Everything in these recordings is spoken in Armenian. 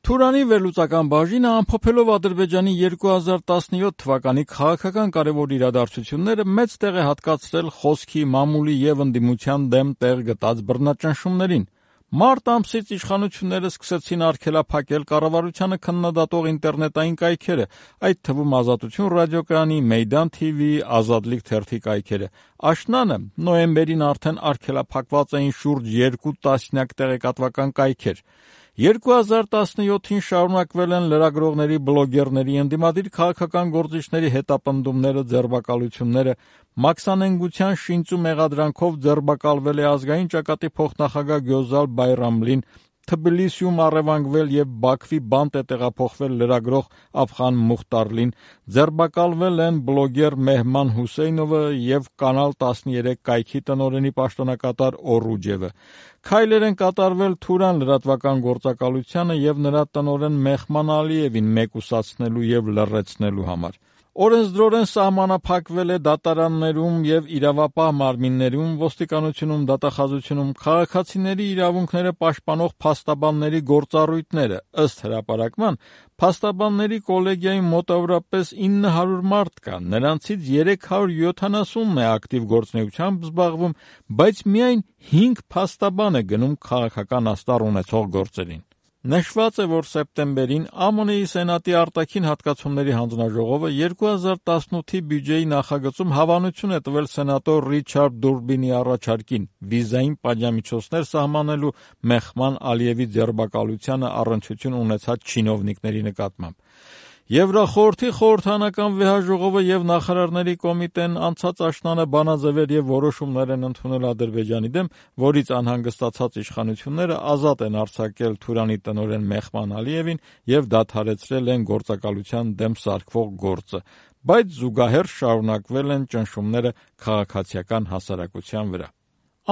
Թուրանի վերլուծական բաժինը ամփոփելով Ադրբեջանի 2017 թվականի քաղաքական կարևոր իրադարձությունները մեծ տեղ է հատկացրել խոսքի, մամուլի և ընդդիմության դեմ տեղ գտած բռնաճնշումներին։ Մարտ ամսից իշխանությունները սկսեցին արգելափակել կառավարությանը քննադատող ինտերնետային կայքերը, այդ թվում Ազատություն ռադիոկայանի, Մեյդան TV, Ազատլիկ թերթի կայքերը։ Աշնանը նոյեմբերին արդեն արգելափակված էին շուրջ 2 տասնյակ տեղեկատվական կայքեր։ 2017-ին շարունակվել են լրագրողների, բլոգերների, ընդդիմադիր քաղաքական գործիչների հետապնդումները, ձերբակալությունները։ Մաքսանենգության շինծու մեղադրանքով ձերբակալվել է ազգային ճակատի փոխնախագահ Գյոզալ Բայրամլին, Թբիլիսիում առևանգվել և Բաքվի բանտ է տեղափոխվել լրագրող Աֆղան Մուխտարլին, ձերբակալվել են բլոգեր Մեհման Հուսեյնովը և Կանալ 13 կայքի տնօրենի պաշտոնակատար Օռուջևը։ Քայլեր են կատարվել Թուրան լրատվական գործակալությանը և նրա տնօրեն Մեհման Ալիևին մեկուսացնելու և լռեցնելու համար։ Օրենսդրորեն սահմանափակվել է դատարաններում և իրավապահ մարմիններում, ոստիկանությունում, դատախազությունում քաղաքացիների իրավունքները պաշտպանող փաստաբանների գործառույթները։ Ըստ հրապարակման, փաստաբանների կոլեգիայում մոտավորապես 900 մարդ կա, նրանցից 370-ն է ակտիվ գործունեությամբ զբաղվում, բայց միայն 5 փաստաբան է գնում քաղաքական աստառ ունեցող գործերին։ Նշված է, որ սեպտեմբերին ԱՄՆ-ի Սենատի արտաքին հատկացումների հանձնաժողովը 2018-ի բյուջեի նախագծում հավանություն է տվել սենատոր Ռիչարդ Դուրբինի առաջարկին վիզային պատժամիջոցներ սահմանելու Մեհման Ալիևի ձերբակալությանը առնչություն ունեցած չինովնիկների նկատմամբ։ Եվրախորհրդի խորհրդարանական վեհաժողովը և նախարարների կոմիտեն անցած աշնանը բանաձևեր և որոշումներ են ընդունել Ադրբեջանի դեմ, որից անհանգստացած իշխանությունները ազատ են արձակել Թուրանի տնօրեն Մեհման Ալիևին և դադարեցրել են գործակալության դեմ սարքվող գործը, բայց զուգահեռ շարունակվել են ճնշումները քաղաքացիական հասարակության վրա։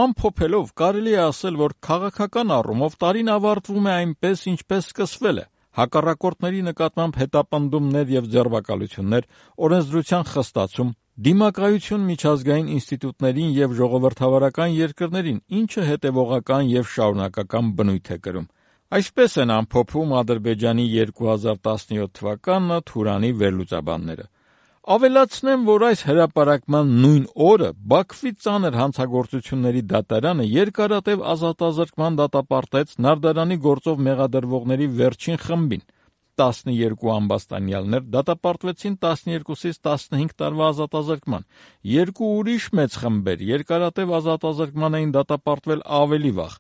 Ամփոփելով կարելի է ասել, որ քաղաքական առումով տարին ավարտվում է այնպես, ինչպես սկսվել է։ Հակառակորդների նկատմամբ հետապնդումներ և ձերբակալություններ, օրենսդրության խստացում, դիմակայություն միջազգային ինստիտուտներին և ժողովրդավարական երկրներին, ինչը հետևողական և շարունակական բնույթ է կրում։ Այսպես են ամփոփում Ադրբեջանի 2017 թվականը Թուրանի վերլուծաբանները։ Ավելացնեմ, որ այս հրապարակման նույն օրը Բաքվի ծանր հանցագործությունների դատարանը երկարատև ազատազրկման դատապարտեց Նարդարանի գործով մեղադրվողների վերջին խմբին։ 12 ամբաստանյալներ դատապարտվեցին 12-ից 15 տարվա ազատազրկման։ 2 ուրիշ մեծ խմբեր երկարատև ազատազրկման էին դատապարտվել ավելի վաղ։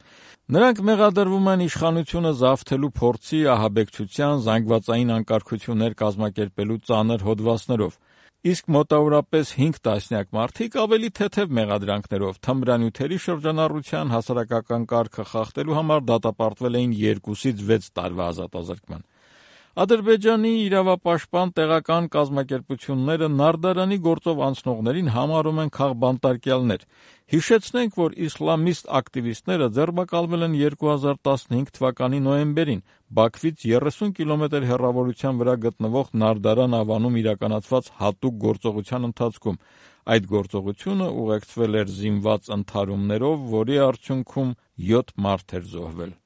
Նրանք մեղադրվում են իշխանությունը զավթելու փորձի, ահաբեկչության, զանգվածային անկարգություններ կազմակերպելու ծանր հոդվածներով։ Իսկ մոտավորապես 5 տասնյակ մարդիկ ավելի թեթև մեղադրանքներով թմրանյութերի շրջանառության, հասարակական կարգը խախտելու համար դատապարտվել էին 2-ից 6 տարվա ազատազրկման։ Ադրբեջանի իրավապաշտպան տեղական կազմակերպությունները Նարդարանի գործով անցնողներին համարում են քաղբանտարկյալներ։ Հիշեցնենք, որ իսլամիստ ակտիվիստները ձերբակալվել են 2015 թվականի նոյեմբերին Բաքվից 30 կիլոմետր հեռավորության վրա գտնվող Նարդարան ավանում իրականացված հատուկ գործողության ընթացքում։ Այդ գործողությունը ուղեկցվել էր զինված ընդհարումներով, որի արդյունքում 7 մարդ էր զոհվել։